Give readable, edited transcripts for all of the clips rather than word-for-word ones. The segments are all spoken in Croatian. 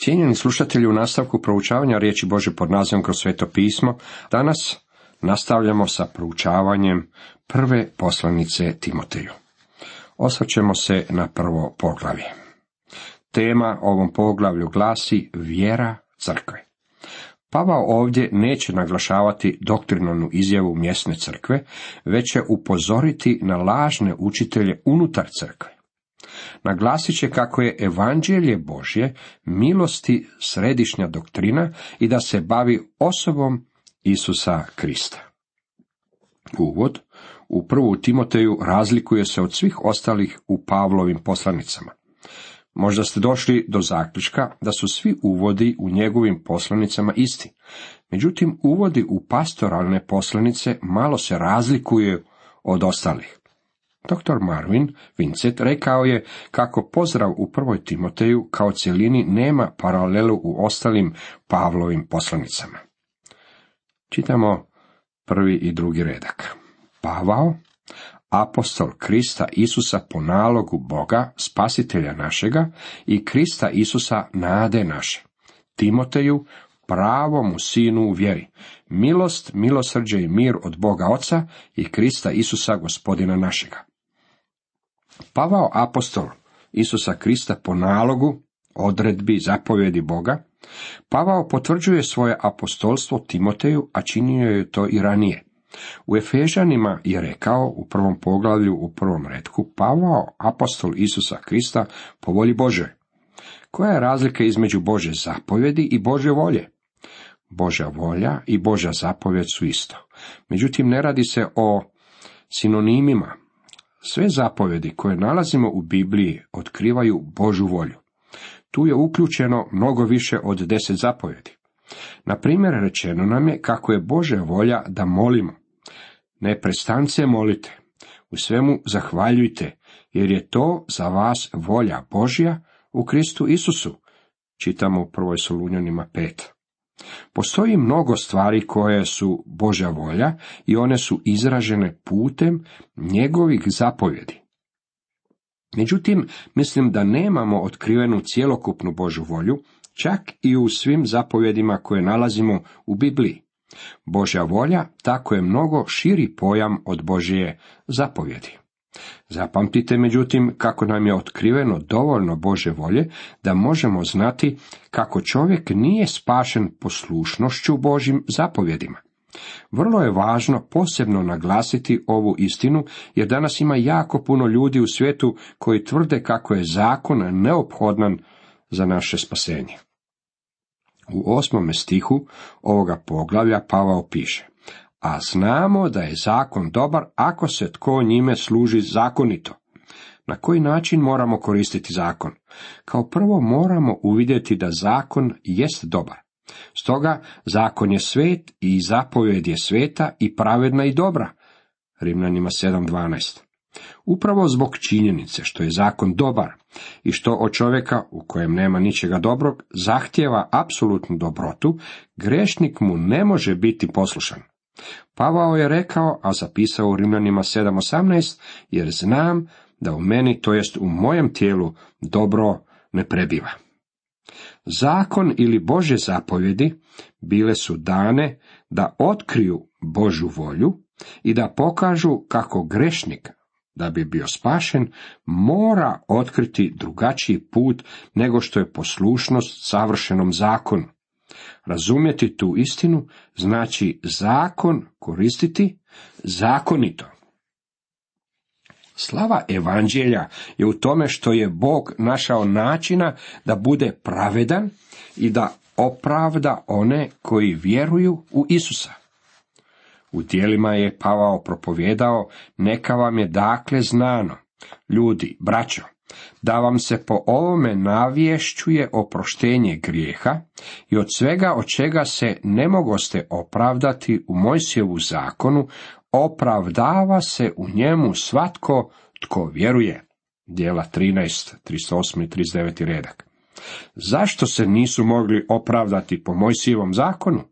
Cijenjeni slušatelji, u nastavku proučavanja riječi Božje pod nazivom Kroz sveto pismo, danas nastavljamo sa proučavanjem prve poslanice Timoteju. Osvrćemo se na prvo poglavlje. Tema ovom poglavlju glasi vjera crkve. Pavao ovdje neće naglašavati doktrinalnu izjavu mjesne crkve, već će upozoriti na lažne učitelje unutar crkve. Naglasit će kako je evanđelje Božje milosti središnja doktrina i da se bavi osobom Isusa Krista. Uvod u prvu Timoteju razlikuje se od svih ostalih u Pavlovim poslanicama. Možda ste došli do zaključka da su svi uvodi u njegovim poslanicama isti. Međutim, uvodi u pastoralne poslanice malo se razlikuju od ostalih. Dr. Marvin Vincent rekao je kako pozdrav u prvoj Timoteju kao cjelini nema paralelu u ostalim Pavlovim poslanicama. Čitamo prvi i drugi redak. Pavao, apostol Krista Isusa po nalogu Boga, spasitelja našega, i Krista Isusa nade naše. Timoteju, pravomu sinu u vjeri, milost, milosrđe i mir od Boga Oca i Krista Isusa gospodina našega. Pavao, apostol Isusa Krista po nalogu, odredbi, zapovjedi Boga, Pavao potvrđuje svoje apostolstvo Timoteju, a činio je to i ranije. U Efežanima je rekao u prvom poglavlju u prvom retku, Pavao, apostol Isusa Krista po volji Božoj. Koja je razlika između Božje zapovjedi i Božje volje? Božja volja i Božja zapovjed su isto. Međutim, ne radi se o sinonimima. Sve zapovjedi koje nalazimo u Bibliji otkrivaju Božju volju. Tu je uključeno mnogo više od 10 zapovjedi. Na primjer, rečeno nam je kako je Božja volja da molimo. Neprestance molite, u svemu zahvaljujte, jer je to za vas volja Božja u Kristu Isusu. Čitamo u 1. Solunjanima 5. Postoji mnogo stvari koje su Božja volja i one su izražene putem njegovih zapovjedi. Međutim, mislim da nemamo otkrivenu cjelokupnu Božju volju, čak i u svim zapovjedima koje nalazimo u Bibliji. Božja volja tako je mnogo širi pojam od Božje zapovjedi. Zapamtite međutim kako nam je otkriveno dovoljno Božje volje da možemo znati kako čovjek nije spašen poslušnošću Božjim zapovjedima. Vrlo je važno posebno naglasiti ovu istinu, jer danas ima jako puno ljudi u svijetu koji tvrde kako je zakon neophodan za naše spasenje. U 8. stihu ovoga poglavlja Pavao piše: a znamo da je zakon dobar ako se tko njime služi zakonito. Na koji način moramo koristiti zakon? Kao prvo moramo uvidjeti da zakon jest dobar. Stoga zakon je svet i zapovjed je sveta i pravedna i dobra. Rimljanima 7.12. Upravo zbog činjenice što je zakon dobar i što od čovjeka u kojem nema ničega dobrog zahtijeva apsolutnu dobrotu, grešnik mu ne može biti poslušan. Pavao je rekao, a zapisao u Rimljanima 7.18, jer znam da u meni, to jest u mojem tijelu, dobro ne prebiva. Zakon ili Božje zapovjedi bile su dane da otkriju Božju volju i da pokažu kako grešnik, da bi bio spašen, mora otkriti drugačiji put nego što je poslušnost savršenom zakonu. Razumjeti tu istinu znači zakon koristiti zakonito. Slava evanđelja je u tome što je Bog našao načina da bude pravedan i da opravda one koji vjeruju u Isusa. U djelima je Pavao propovjedao: neka vam je dakle znano, ljudi, braćo, da vam se po ovome navješćuje oproštenje grijeha i od svega od čega se ne mogoste opravdati u Mojsijevu zakonu, opravdava se u njemu svatko tko vjeruje. Djela 13, 38 i 39 redak. Zašto se nisu mogli opravdati po Mojsijevom zakonu?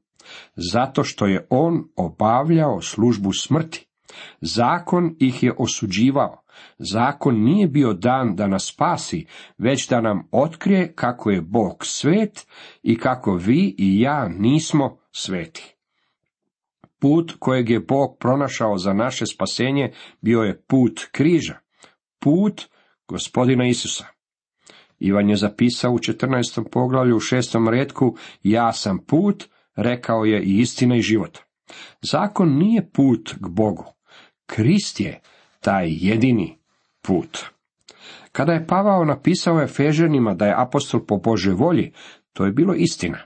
Zato što je on obavljao službu smrti. Zakon ih je osuđivao, Zakon nije bio dan da nas spasi, već da nam otkrije kako je Bog svet i kako vi i ja nismo sveti. Put kojeg je Bog pronašao za naše spasenje bio je put križa, put Gospodina Isusa. Ivan je zapisao u 14. poglavlju u 6. retku: ja sam put, rekao je, i istina i život. Zakon nije put k Bogu. Krist je taj jedini put. Kada je Pavao napisao Efežanima da je apostol po Božoj volji, to je bilo istina.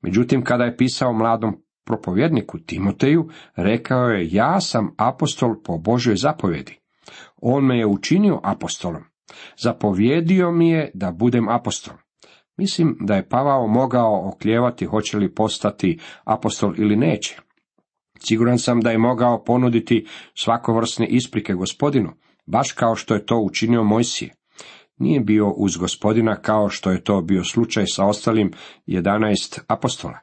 Međutim, kada je pisao mladom propovjedniku Timoteju, rekao je: ja sam apostol po Božoj zapovjedi. On me je učinio apostolom. Zapovjedio mi je da budem apostol. Mislim da je Pavao mogao oklijevati hoće li postati apostol ili neće. Siguran sam da je mogao ponuditi svakovrsne isprike Gospodinu, baš kao što je to učinio Mojsije. Nije bio uz Gospodina kao što je to bio slučaj sa ostalim 11 apostola.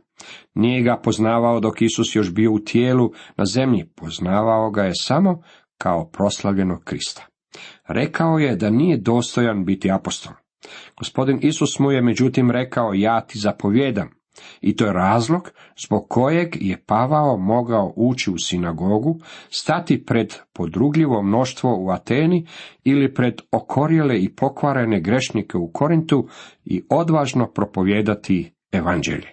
Nije ga poznavao dok Isus još bio u tijelu na zemlji, poznavao ga je samo kao proslavljenog Krista. Rekao je da nije dostojan biti apostol. Gospodin Isus mu je međutim rekao: ja ti zapovjedam. I to je razlog zbog kojeg je Pavao mogao ući u sinagogu, stati pred podrugljivo mnoštvo u Ateni ili pred okorjele i pokvarene grešnike u Korintu i odvažno propovijedati evanđelje.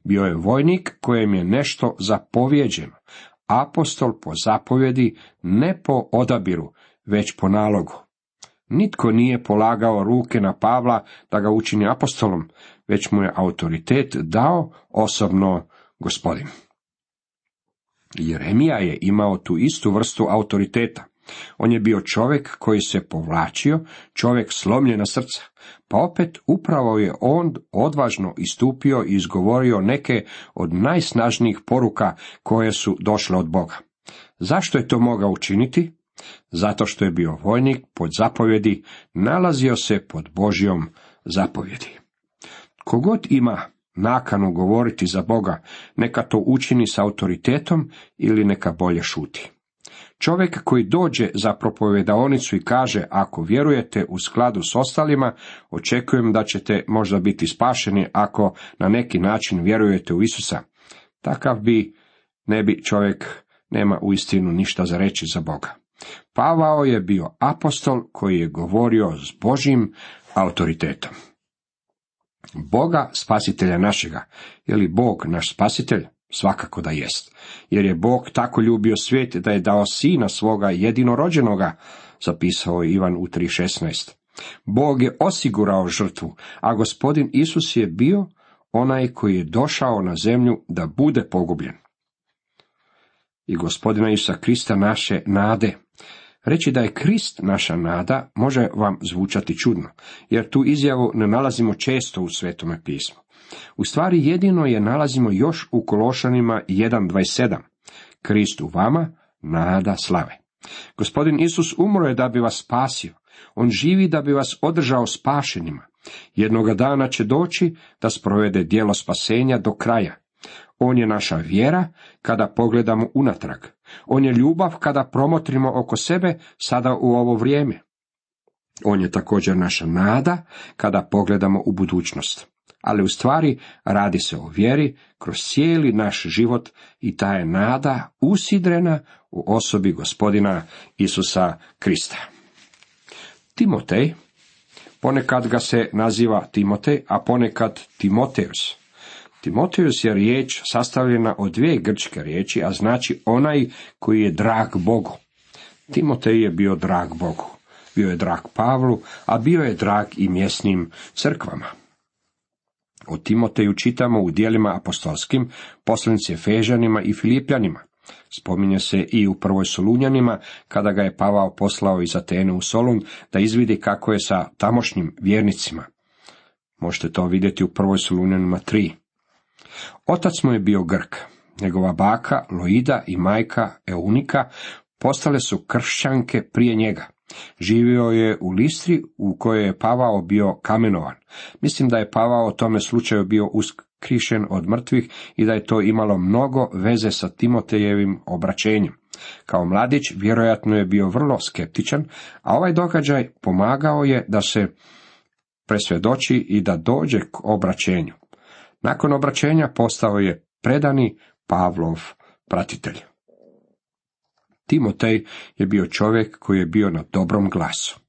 Bio je vojnik kojem je nešto zapovjeđeno, apostol po zapovjedi, ne po odabiru, već po nalogu. Nitko nije polagao ruke na Pavla da ga učini apostolom, već mu je autoritet dao osobno Gospodin. Jeremija je imao tu istu vrstu autoriteta. On je bio čovjek koji se povlačio, čovjek slomljena srca, pa opet upravo je on odvažno istupio i izgovorio neke od najsnažnijih poruka koje su došle od Boga. Zašto je to mogao učiniti? Zato što je bio vojnik pod zapovjedi, nalazio se pod Božjom zapovjedi. Kogod ima nakanu govoriti za Boga, neka to učini s autoritetom ili neka bolje šuti. Čovjek koji dođe za propovedaonicu i kaže: ako vjerujete u skladu s ostalima, očekujem da ćete možda biti spašeni ako na neki način vjerujete u Isusa. Takav ne bi čovjek nema uistinu ništa za reći za Boga. Pavao je bio apostol koji je govorio s Božjim autoritetom. Boga spasitelja našega, je li Bog naš spasitelj? Svakako da jest, jer je Bog tako ljubio svijet da je dao sina svoga jedinorođenoga, zapisao je Ivan u 3:16. Bog je osigurao žrtvu, a Gospodin Isus je bio onaj koji je došao na zemlju da bude pogubljen. I Gospodina Isusa Krista naše nade. Reći da je Krist naša nada može vam zvučati čudno, jer tu izjavu ne nalazimo često u Svetome pismu. U stvari jedino je nalazimo još u Kološanima 1:27. Krist u vama, nada slave. Gospodin Isus umro je da bi vas spasio. On živi da bi vas održao spašenima. Jednoga dana će doći da sprovede djelo spasenja do kraja. On je naša vjera kada pogledamo unatrag. On je ljubav kada promotrimo oko sebe sada u ovo vrijeme. On je također naša nada kada pogledamo u budućnost. Ali u stvari radi se o vjeri kroz cijeli naš život i ta je nada usidrena u osobi Gospodina Isusa Krista. Timotej, ponekad ga se naziva Timotej, a ponekad Timoteus. Timoteus je riječ sastavljena od dvije grčke riječi, a znači onaj koji je drag Bogu. Timotej je bio drag Bogu. Bio je drag Pavlu, a bio je drag i mjesnim crkvama. O Timoteju čitamo u djelima apostolskim, poslanici Efežanima i Filipljanima. Spominje se i u prvoj Solunjanima, kada ga je Pavao poslao iz Atene u Solun da izvidi kako je sa tamošnjim vjernicima. Možete to vidjeti u prvoj Solunjanima 3. Otac mu je bio Grk. Njegova baka Loida i majka Eunika postale su kršćanke prije njega. Živio je u Listri u kojoj je Pavao bio kamenovan. Mislim da je Pavao u tome slučaju bio uskrišen od mrtvih i da je to imalo mnogo veze sa Timotejevim obraćenjem. Kao mladić vjerojatno je bio vrlo skeptičan, a ovaj događaj pomagao je da se presvjedoči i da dođe k obraćenju. Nakon obraćenja postao je predani Pavlov pratitelj. Timotej je bio čovjek koji je bio na dobrom glasu.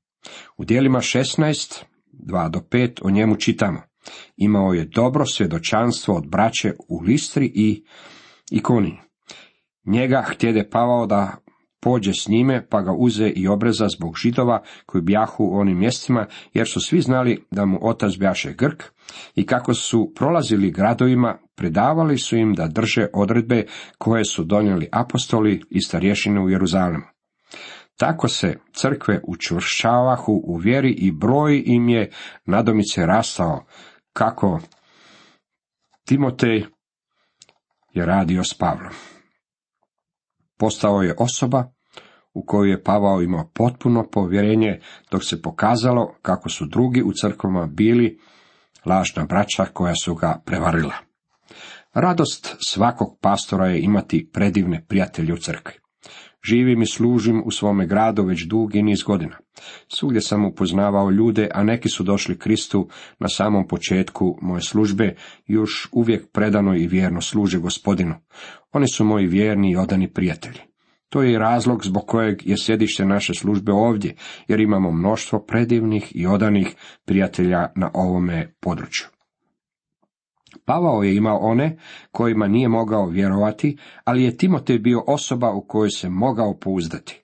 U djelima 16, 2-5 o njemu čitamo. Imao je dobro svjedočanstvo od braće u Listri i Ikoniji. Njega htjede Pavao da pođe s njime, pa ga uze i obreza zbog Židova koji bjahu u onim mjestima, jer su svi znali da mu otac bjaše Grk, i kako su prolazili gradovima, predavali su im da drže odredbe koje su donijeli apostoli i starješine u Jeruzalemu. Tako se crkve učvršćavahu u vjeri i broj im je nadomice rastao, kako Timotej je radio s Pavlom. Postao je osoba u koju je Pavao imao potpuno povjerenje, dok se pokazalo kako su drugi u crkvama bili lažna braća koja su ga prevarila. Radost svakog pastora je imati predivne prijatelje u crkvi. Živim i služim u svome gradu već dugi niz godina. Svugdje sam upoznavao ljude, a neki su došli Kristu na samom početku moje službe, još uvijek predano i vjerno služe Gospodinu. Oni su moji vjerni i odani prijatelji. To je i razlog zbog kojeg je sjedište naše službe ovdje, jer imamo mnoštvo predivnih i odanih prijatelja na ovome području. Pavao je imao one kojima nije mogao vjerovati, ali je Timotej bio osoba u kojoj se mogao pouzdati.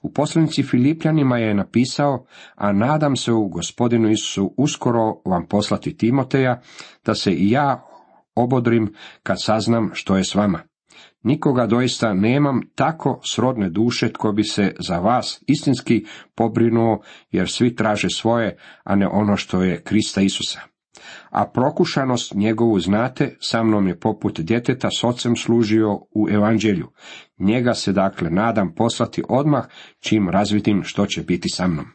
U poslanici Filipljanima je napisao, a nadam se u Gospodinu Isusu uskoro vam poslati Timoteja, da se i ja obodrim kad saznam što je s vama. Nikoga doista nemam tako srodne duše tko bi se za vas istinski pobrinuo, jer svi traže svoje, a ne ono što je Krista Isusa. A prokušanost njegovu znate, sa mnom je poput djeteta s ocem služio u evanđelju. Njega se dakle nadam poslati odmah, čim razvidim što će biti sa mnom.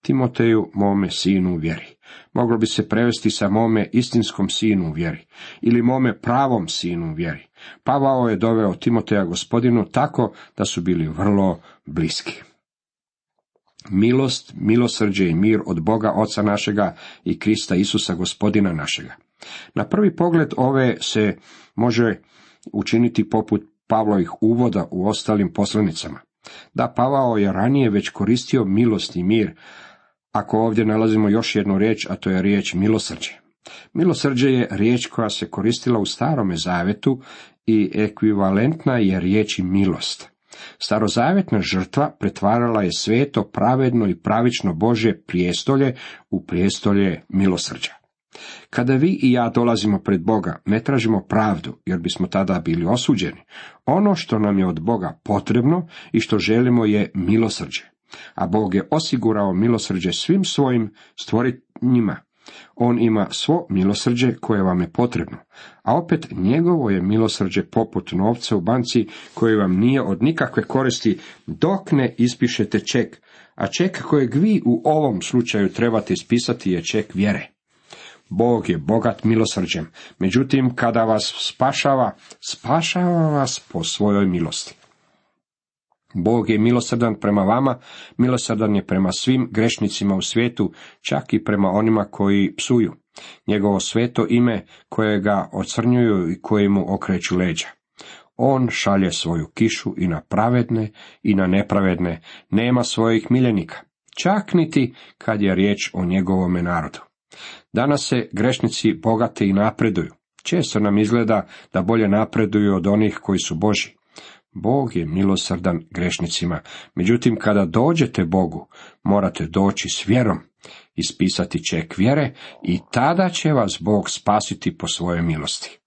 Timoteju, mome sinu u vjeri. Moglo bi se prevesti sa mome istinskom sinu u vjeri, ili mome pravom sinu u vjeri. Pavao je doveo Timoteja Gospodinu tako da su bili vrlo bliski. Milost, milosrđe i mir od Boga Oca našega i Krista Isusa Gospodina našega. Na prvi pogled ove se može učiniti poput Pavlovih uvoda u ostalim poslanicama. Da, Pavao je ranije već koristio milost i mir, ako ovdje nalazimo još jednu riječ, a to je riječ milosrđe. Milosrđe je riječ koja se koristila u Starome zavetu i ekvivalentna je riječi milost. Starozavjetna žrtva pretvarala je sveto, pravedno i pravično Božje prijestolje u prijestolje milosrđa. Kada vi i ja dolazimo pred Boga, ne tražimo pravdu, jer bismo tada bili osuđeni. Ono što nam je od Boga potrebno i što želimo je milosrđe. A Bog je osigurao milosrđe svim svojim stvorenjima. On ima svo milosrđe koje vam je potrebno, a opet njegovo je milosrđe poput novca u banci koji vam nije od nikakve koristi dok ne ispišete ček, a ček kojeg vi u ovom slučaju trebate ispisati je ček vjere. Bog je bogat milosrđem, međutim kada vas spašava vas po svojoj milosti. Bog je milosrdan prema vama, milosrdan je prema svim grešnicima u svijetu, čak i prema onima koji psuju. Njegovo sveto ime koje ga ocrnjuju i koji mu okreću leđa. On šalje svoju kišu i na pravedne i na nepravedne, nema svojih miljenika, čak niti kad je riječ o njegovome narodu. Danas se grešnici bogate i napreduju. Često nam izgleda da bolje napreduju od onih koji su Božji. Bog je milosrdan grešnicima, međutim kada dođete Bogu, morate doći s vjerom, ispisati ček vjere i tada će vas Bog spasiti po svojoj milosti.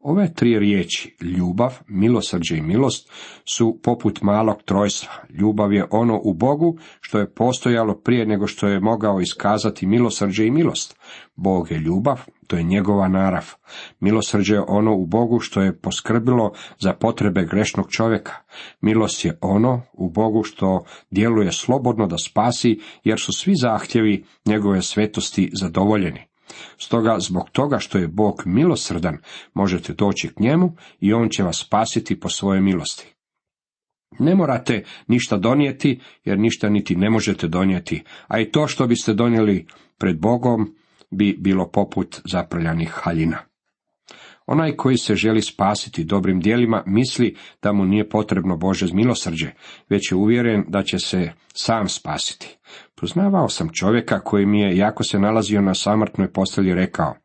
Ove tri riječi, ljubav, milosrđe i milost, su poput malog trojstva. Ljubav je ono u Bogu što je postojalo prije nego što je mogao iskazati milosrđe i milost. Bog je ljubav, to je njegova narav. Milosrđe je ono u Bogu što je poskrbilo za potrebe grešnog čovjeka. Milost je ono u Bogu što djeluje slobodno da spasi, jer su svi zahtjevi njegove svetosti zadovoljeni. Stoga, zbog toga što je Bog milosrdan, možete doći k njemu i on će vas spasiti po svojoj milosti. Ne morate ništa donijeti, jer ništa niti ne možete donijeti, a i to što biste donijeli pred Bogom bi bilo poput zaprljanih haljina. Onaj koji se želi spasiti dobrim djelima misli da mu nije potrebno Božje milosrđe, već je uvjeren da će se sam spasiti. Poznavao sam čovjeka koji mi je, jako se nalazio na samrtnoj postelji, rekao: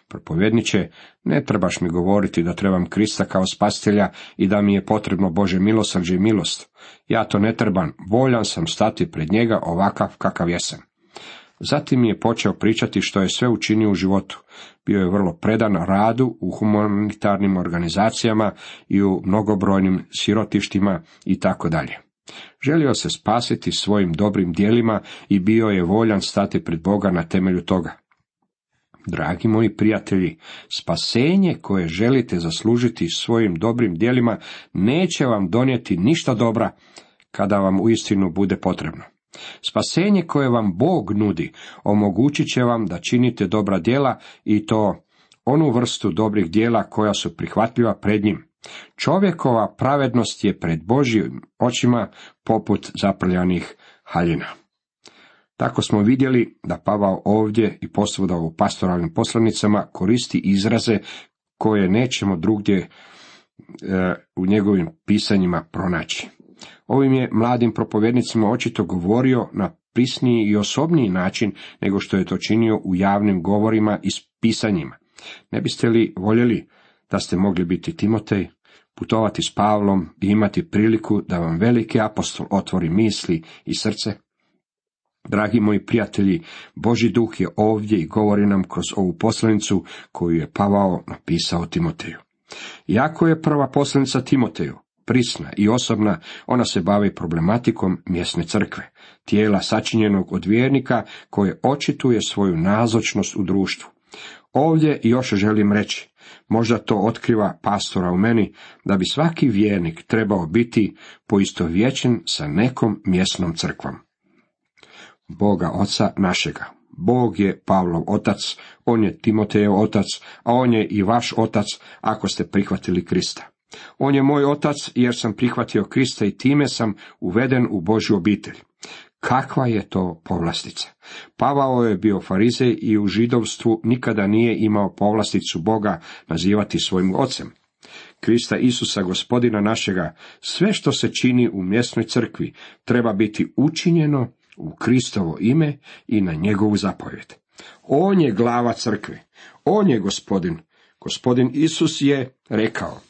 Propovjedniče, ne trebaš mi govoriti da trebam Krista kao spasitelja i da mi je potrebno Božje milosrđe i milost. Ja to ne trebam, voljan sam stati pred njega ovakav kakav jesam. Zatim mi je počeo pričati što je sve učinio u životu. Bio je vrlo predan radu u humanitarnim organizacijama i u mnogobrojnim sirotištima i tako dalje. Želio se spasiti svojim dobrim djelima i bio je voljan stati pred Boga na temelju toga. Dragi moji prijatelji, spasenje koje želite zaslužiti svojim dobrim djelima neće vam donijeti ništa dobra kada vam uistinu bude potrebno. Spasenje koje vam Bog nudi omogućit će vam da činite dobra djela i to onu vrstu dobrih djela koja su prihvatljiva pred njim. Čovjekova pravednost je pred Božjim očima poput zaprljanih haljina. Tako smo vidjeli da Pavao ovdje i posvuda u pastoralnim poslanicama koristi izraze koje nećemo drugdje u njegovim pisanjima pronaći. Ovim je mladim propovjednicima očito govorio na prisniji i osobniji način nego što je to činio u javnim govorima i pisanjima. Ne biste li voljeli da ste mogli biti Timotej, putovati s Pavlom i imati priliku da vam veliki apostol otvori misli i srce? Dragi moji prijatelji, Božji duh je ovdje i govori nam kroz ovu poslanicu koju je Pavao napisao Timoteju. Iako je prva poslanica Timoteju prisna i osobna, ona se bavi problematikom mjesne crkve, tijela sačinjenog od vjernika koje očituje svoju nazočnost u društvu. Ovdje još želim reći, možda to otkriva pastora u meni, da bi svaki vjernik trebao biti poistovjećen sa nekom mjesnom crkvom. Boga Oca našega. Bog je Pavlov otac, on je Timotejev otac, a on je i vaš otac ako ste prihvatili Krista. On je moj otac jer sam prihvatio Krista i time sam uveden u Božju obitelj. Kakva je to povlastica? Pavao je bio farizej i u židovstvu nikada nije imao povlasticu Boga nazivati svojim ocem. Krista Isusa, Gospodina našega, sve što se čini u mjesnoj crkvi treba biti učinjeno u Kristovo ime i na njegovu zapovjed. On je glava crkve, on je Gospodin. Gospodin Isus je rekao: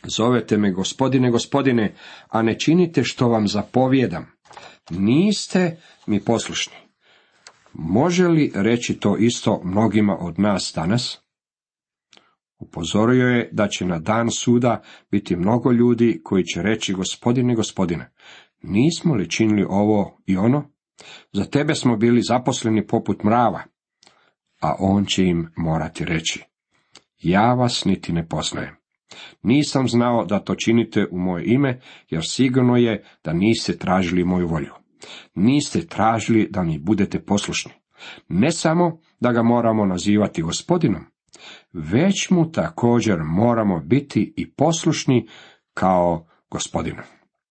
Zovete me Gospodine, Gospodine, a ne činite što vam zapovijedam. Niste mi poslušni. Može li reći to isto mnogima od nas danas? Upozorio je da će na dan suda biti mnogo ljudi koji će reći: Gospodine, Gospodine, nismo li činili ovo i ono? Za tebe smo bili zaposleni poput mrava. A on će im morati reći: Ja vas niti ne poznajem. Nisam znao da to činite u moje ime, jer sigurno je da niste tražili moju volju. Niste tražili da mi budete poslušni. Ne samo da ga moramo nazivati Gospodinom, već mu također moramo biti i poslušni kao Gospodinu.